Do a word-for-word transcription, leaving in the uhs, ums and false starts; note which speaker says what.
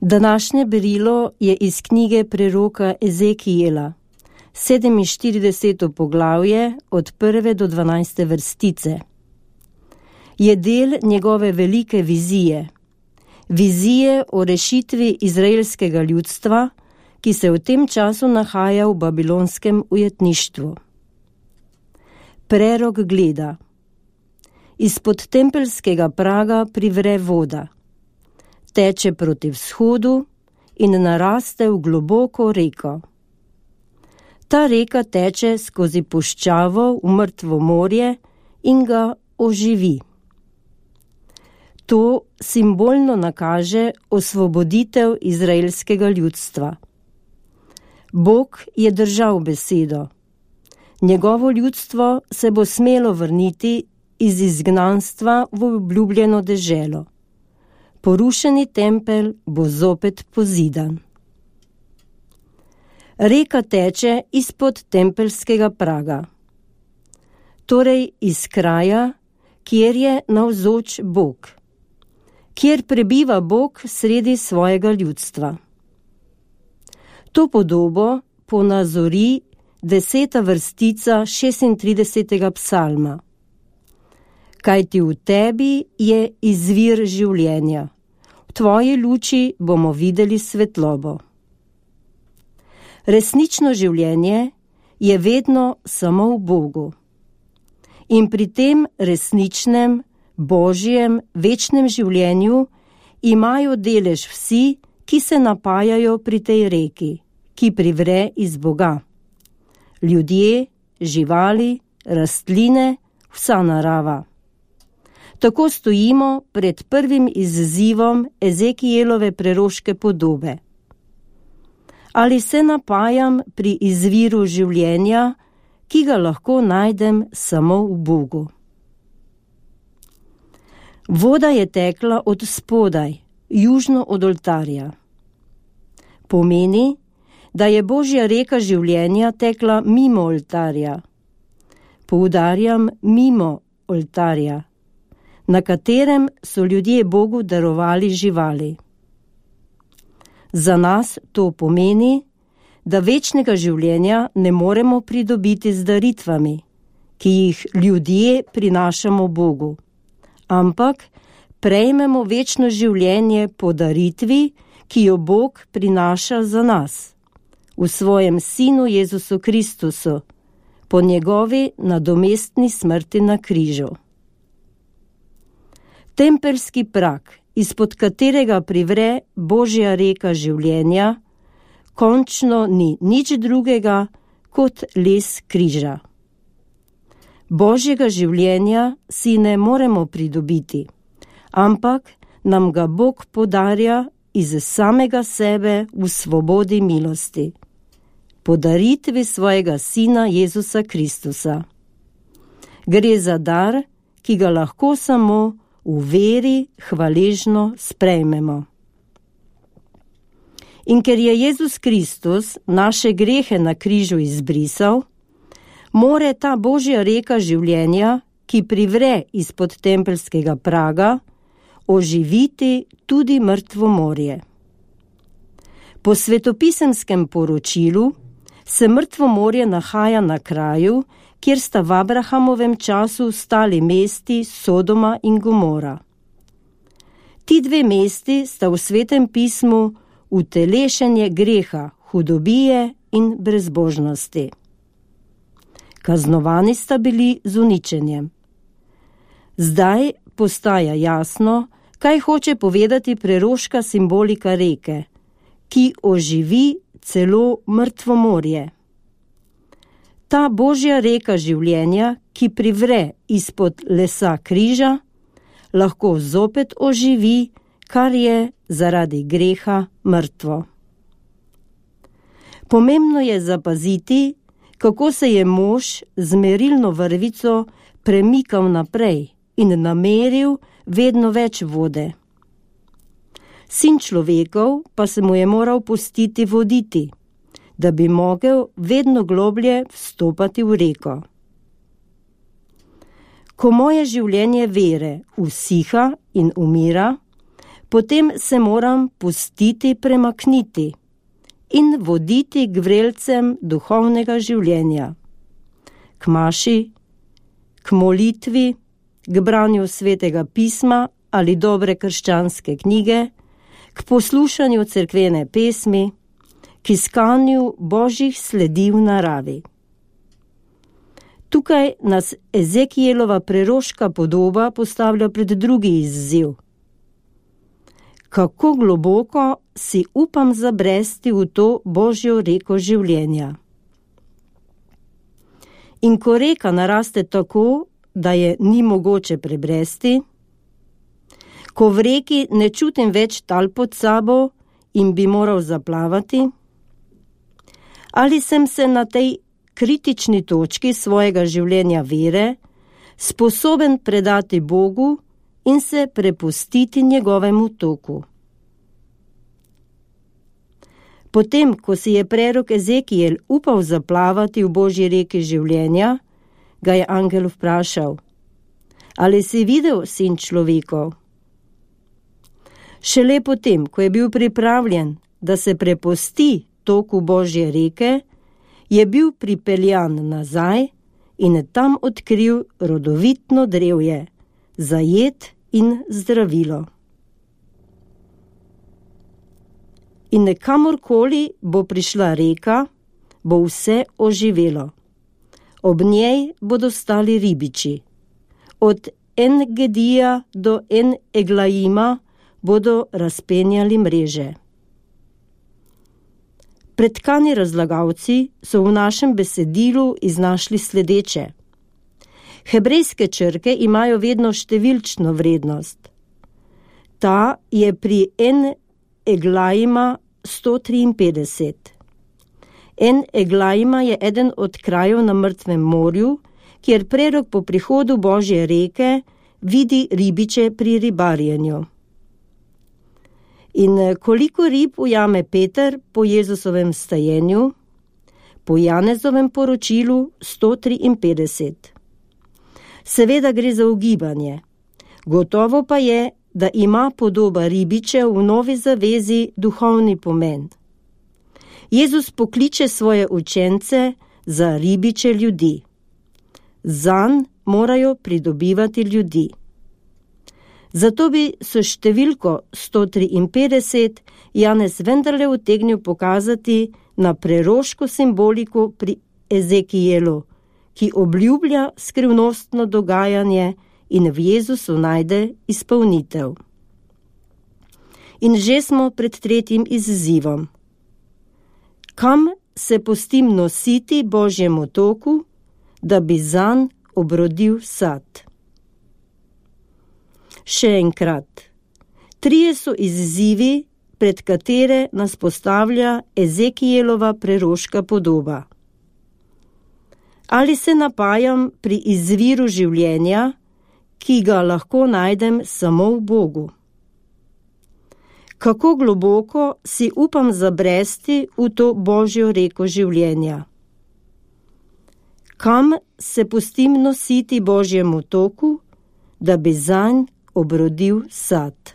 Speaker 1: Današnje berilo je iz knjige preroka Ezekijela, sedeminštirideseto poglavje od prve do dvanajste vrstice. Je del njegove velike vizije, vizije o rešitvi izraelskega ljudstva, ki se v tem času nahaja v babilonskem ujetništvu. Prerok gleda. Izpod tempelskega praga privre voda, teče proti vzhodu in naraste v globoko reko. Ta reka teče skozi puščavo v mrtvo morje in ga oživi. To simbolno nakaže osvoboditev izraelskega ljudstva. Bog je držal besedo. Njegovo ljudstvo se bo smelo vrniti iz izgnanstva v obljubljeno deželo. Porušeni tempelj bo zopet pozidan. Reka teče izpod tempelskega praga, torej iz kraja, kjer je navzoč Bog, kjer prebiva Bog sredi svojega ljudstva. To podobo ponazori deseta vrstica šestintridesetega psalma. Kajti v tebi je izvir življenja, v tvoji luči bomo videli svetlobo. Resnično življenje je vedno samo v Bogu. In pri tem resničnem, božjem, večnem življenju imajo delež vsi, ki se napajajo pri tej reki, ki privre iz Boga. Ljudje, živali, rastline, vsa narava. Tako stojimo pred prvim izzivom Ezekijelove preroške podobe. Ali se napajam pri izviru življenja, ki ga lahko najdem samo v Bogu? Voda je tekla od spodaj, južno od oltarja. Pomeni, da je Božja reka življenja tekla mimo oltarja. Poudarjam mimo oltarja, na katerem so ljudje Bogu darovali živali. Za nas to pomeni, da večnega življenja ne moremo pridobiti z daritvami, ki jih ljudje prinašamo Bogu, ampak prejmemo večno življenje po daritvi, ki jo Bog prinaša za nas, v svojem Sinu Jezusu Kristusu, po njegovi nadomestni smrti na križu. Tempelski prag, izpod katerega privre Božja reka življenja, končno ni nič drugega kot les križa. Božjega življenja si ne moremo pridobiti, ampak nam ga Bog podarja iz samega sebe v svobodi milosti, po daritvi svojega Sina Jezusa Kristusa. Gre za dar, ki ga lahko samo v veri hvaležno sprejmemo. In ker je Jezus Kristus naše grehe na križu izbrisal, more ta Božja reka življenja, ki privre izpod tempelskega praga, oživiti tudi mrtvo morje. Po svetopisemskem poročilu se mrtvo morje nahaja na kraju, kjer sta v Abrahamovem času stali mesti Sodoma in Gomora. Ti dve mesti sta v Svetem pismu utelešenje greha, hudobije in brezbožnosti. Kaznovani sta bili z uničenjem. Zdaj postaja jasno, kaj hoče povedati preroška simbolika reke, ki oživi celo mrtvo morje. Ta Božja reka življenja, ki privre izpod lesa križa, lahko zopet oživi, kar je zaradi greha mrtvo. Pomembno je zapaziti, kako se je mož z merilno vrvico premikal naprej in nameril vedno več vode. Sin človekov pa se mu je moral pustiti voditi, da bi mogel vedno globlje vstopati v reko. Ko moje življenje vere usiha in umira, potem se moram pustiti premakniti in voditi k vrelcem duhovnega življenja, k maši, k molitvi, k branju svetega pisma ali dobre krščanske knjige, k poslušanju cerkvene pesmi, k iskanju božjih sledi v naravi. Tukaj nas Ezekielova preroška podoba postavlja pred drugi izziv. Kako globoko si upam zabresti v to božjo reko življenja. In ko reka naraste tako, da je ni mogoče prebresti, ko v reki ne čutim več tal pod sabo in bi moral zaplavati, ali sem se na tej kritični točki svojega življenja vere sposoben predati Bogu in se prepustiti njegovemu toku. Potem, ko si je prerok Ezekiel upal zaplavati v božji reki življenja, ga je angel vprašal: ali si videl, sin človekov? Šele potem, ko je bil pripravljen, da se prepusti toku božje reke, je bil pripeljan nazaj in tam odkril rodovitno drevje, za jed in zdravilo. In kamorkoli bo prišla reka, bo vse oživelo. Ob njej bodo stali ribiči. Od En-Gedija do En-Eglaima bodo razpenjali mreže. Pretkani razlagalci so v našem besedilu iznašli sledeče. Hebrejske črke imajo vedno številčno vrednost. Ta je pri En-Eglaima sto triinpetdeset. En-Eglaima je eden od krajev na Mrtvem morju, kjer prerok po prihodu božje reke vidi ribiče pri ribarjenju. In koliko rib ujame Peter po Jezusovem stajenju? Po Janezovem poročilu sto triinpetdeset. Seveda gre za ugibanje. Gotovo pa je, da ima podoba ribičev v novi zavezi duhovni pomen. Jezus pokliče svoje učence za ribiče ljudi. Zanj morajo pridobivati ljudi. Zato bi s številko sto triinpetdeset Janez vendarle utegnil pokazati na preroško simboliko pri Ezekielu, ki obljublja skrivnostno dogajanje in v Jezusu najde izpolnitev. In že smo pred tretjim izzivom. Kam se pustim nositi božjemu toku, da bi zanj obrodil sad? Še enkrat, trije so izzivi, pred katere nas postavlja Ezekielova preroška podoba. Ali se napajam pri izviru življenja, ki ga lahko najdem samo v Bogu? Kako globoko si upam zabresti v to božjo reko življenja? Kam se pustim nositi božjemu toku, da bi zanj obrodil sad?